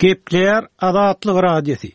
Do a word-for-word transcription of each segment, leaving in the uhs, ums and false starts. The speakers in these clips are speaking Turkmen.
Gepleýär Azatlyk Radiosy.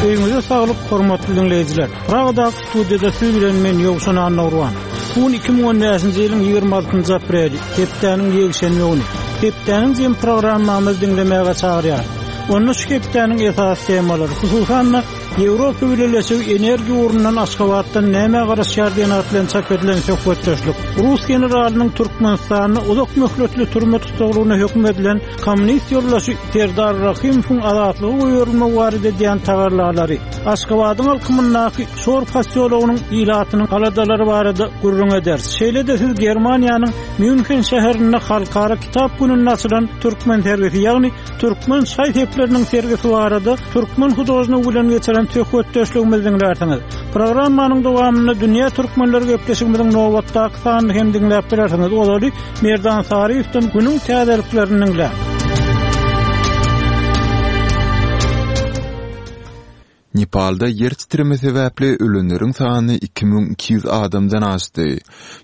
Öýüňize saglyk, hormatly diňleýjiler. Pragadaky studiýada siz bilen men Ýowşan Annagurban. Bu gün iki müň on bäşinji ýylyň ýigrimi altynjy apreli, hepdäniň ýekşenbe güni. Hepdäniň jem programmamyzy diňlemäge çagyrýar. Onda şu hepdäniň esasy temalary, hususan-da Ýewropa Bileleşigi energiýa ugrundan Aşgabatdan näme garaşýar diýen at bilen çap edilen söhbetdeşlik, Rus generalynyň Türkmenistanda uzak möhletli türme tussaglygyna höküm edilen kommunist ýoldaşy Serdar Rahymowyň azatlyga goýberilmegi barada edýän tagallalary, Aşgabadyň alkymyndaky Şor posýologynyň ilatynyň aladalary barada gürrüň ederis. Şeýle-de siz Germaniýanyň Mýunhen şäherinde halkara kitap gününde açylan türkmen sergisi, ýagny türkmen şaý-sepleriniň sergisi barada türkmen hudožnigi bilen geçiren söhbetdeşligimizi diňlärsiňiz. Programmanyň dowamynda Dünýä Türkmenleri gepleşigimiziň nobatdaky sanyny hem diňläp bilersiňiz. Ozaly Merdan Saryýewden günüň täzeliklerini diňläň. Nepalda ýer titreme sebäpli ölenleriň sany iki müň iki ýüz adamdan aşdy.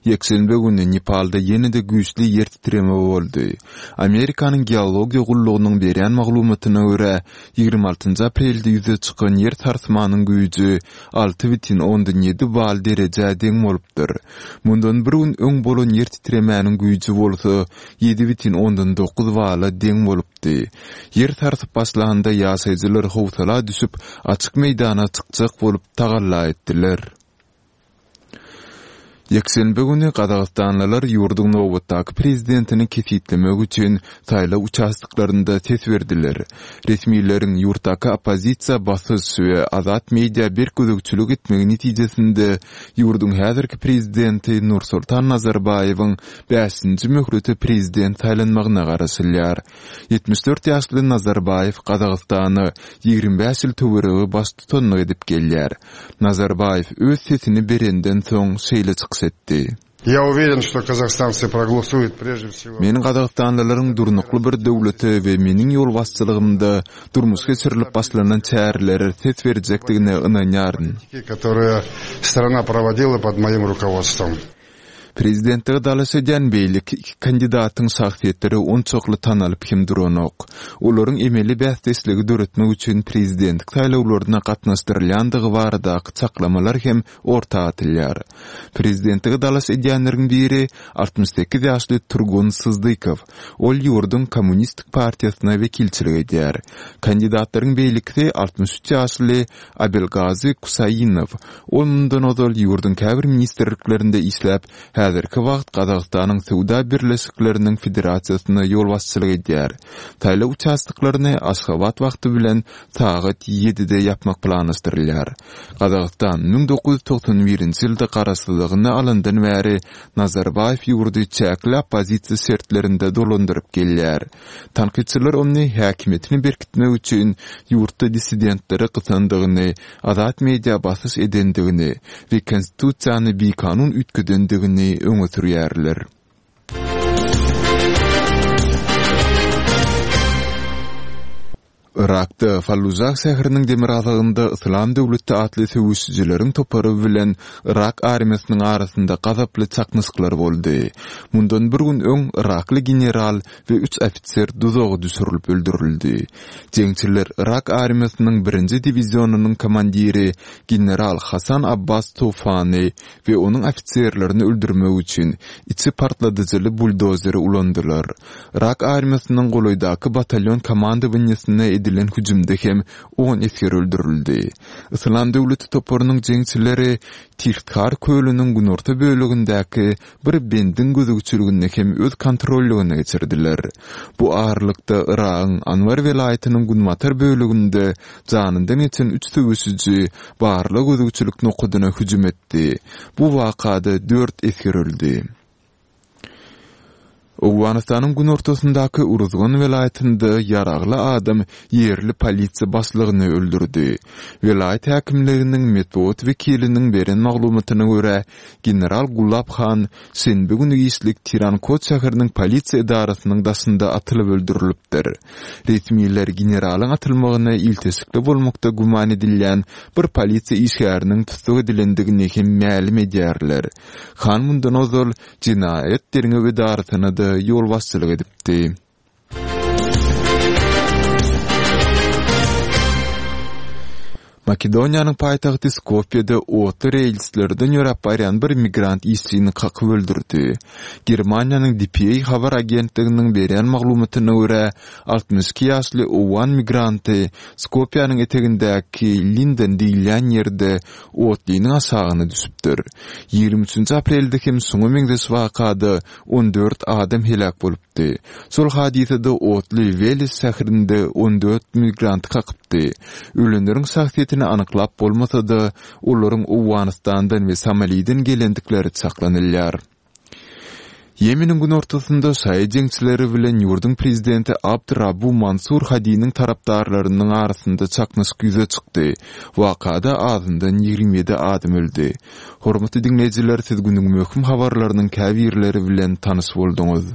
Ýekşenbe güni Nepalda ýene-de güýçli ýer titreme boldy. Amerikanyň geologiýa gullugynyň berýän maglumatyna görä, ýigrimi altynjy aprelde ýüze çykan ýer sarsmanyň güýji alty bütin ondan ýedi bal derejä deň bolupdyr. Mundan bir gün öň bolan ýer titremäniň güýji bolsa ýedi bütin ondan dokuz bala deň bolupdy. Ýer sarsyp başlanda ýaşaýjylar howsala düşüp, açyk meýdana çykjak bolup tagalla etdiler. Ýekşenbe güni Gazagystanlylar ýurduň nobatdaky prezidentini kesgitlemek üçin saýlaw uçastoklarynda ses berdiler. Resmileriň ýurtdaky oppozisiýa basyş we azat media berk gözegçilik etmegi netijesinde ýurduň häzirki prezidenti Nursultan Nazarbaýewiň bäşinji möhlete prezident saýlanmagyna garaşylýar. Ýetmiş dört ýaşly Nazarbaýew Gazagystana ýigrimi bäş ýyl töweregi baştutanlyk edip gelýär. Nazarbaýew öz sesini berenden soň şeýle çykyş etdi. Я уверен, что казахстанцы проголосуют прежде всего. Men Gazagystanlylaryň durnukly bir döwlete we meniň ýolbaşçylygymda durmuş geçirilip başlanan çärelere ses berjekdigine ynanýaryn. Которые страна проводила под моим руководством. Prezidentlige dalaş edýän beýleki iki kandidatyň şahsyýetleri onçakly tanalyp hem duranok. Olaryň emeli bäsdeşligi döretmek üçin prezidentlik saýlawlaryna gatnaşdyrylýandygy baradaky çaklamalar hem orta atylýar. Prezidentlige dalaş edýänleriň biri altmyş sekiz ýaşly Turgun Syzdykow. Ol ýurduň Kommunistik partiýasyna wekilçilik edýär. Kandidatlaryň beýlekisi altmyş üç ýaşly Abelgazy Kusaýinow. Ol mundan ozal ýurduň käbir ministrliklerinde işläp, häzirki wagt Gazagystanyň Söwda Birleşikleriniň Federasiýasyna ýolbaşçylyk edýär. Saýlaw uçastoklaryny Aşgabat wagty bilen sagat ýedide ýapmak planlaşdyrylýar. Gazagystan müň dokuz ýüz togsan birinji ýylda garaşsyzlygyny alandan bäri Nazarbaýew ýurdy çäkli oppozisiýa şertlerinde dolandyryp gelýär. Tankytçylar ony häkimiýetini berkitmek üçin ýurtda dissidentlere gysandygyny, azat media basyş edendigini we konstitusiýany bikanun üýtgedendigini öňe sürýärler. Irakda Fallujah şäheriniň demirgazygynda Islam döwleti atly söweşijileriň topary bilen Irak armiýasynyň arasynda gazaply çaknyşyklar boldy. Mundan bir gün öň Irakly general we üç ofiser duzaga düşürilip öldürildi. Jeňçiler Irak armiýasynyň birinji diwizionynyň komandiri general Hasan Abbas Tufany we onuň ofiserlerini öldürmek üçin içi partladyjyly buldozeri ulandylar. Irak armiýasynyň golaýdaky batalyon komandowaniýasyna edilen hüjümde hem on esger öldürildi. Islam döwleti toparynyň jeňçileri Tirtkar kölüniň günorta bölegindäki bir bendiň gözegçiligini hem öz kontrollygyna geçirdiler. Bu aralykda Iragyň Anbar welaýatynyň günbatar böleginde janyndan geçen üç söweşiji barlag gözegçilik nokadyna hüjüm etdi. Bu wakada dört esger öldü. Owganystanyň günortasyndaky Uruzgan welaýatynda ýaragly adam ýerli polisiýa başlygyny öldürdi. Welaýat häkimliginiň metbugat wekiliniň beren maglumatyna görä, general Gulab Han şenbe günü giçlik Tirankot şäheriniň polisiýa edarasynyň daşynda atylyp öldürilipdir. Resmiler generalyň atylmagyna ilteşikli bolmakda güman edilýän bir polisiýa işgäriniň tussag edilendigini hem mälim edýärler. Han mundan ozal jenaýat derňew edarasyna da ýolbaşçylyk edipdi. Makedoniýanyň paýtagty Skopýede otly relslerden ýöräp barýan bir migrant işçini kakyp öldürdi. Germaniýanyň D P A habar agentliginiň berýän maglumatyna görä, altmyş iki ýaşly owgan migranty Skopýanyň etegindäki Linden diýilýän ýerde otlynyň aşagyna düşüpdir. Ýigrimi üçünji aprelde hem şuňa meňzeş wakada on dört adam heläk bolupdy. Şol hadysada otly Weles şäherinde on dört migranty kakypdy. Ölenleriň şahsyýetini anyklap bolmasa-da, olaryň Owganystandan we Somaliden gelendikleri çaklanylýar. Ýemeniň günortasynda şaýy jeňçileri bilen ýurduň prezidenti Abd Rabu Mansur Hadiniň tarapdarlarynyň arasynda çaknyşyk ýüze çykdy. Wakada azyndan ýigrimi ýedi adam öldi. Hormatly diňleýjiler, siz günüň möhüm habarlarynyň käbirleri bilen tanyş bolduňyz.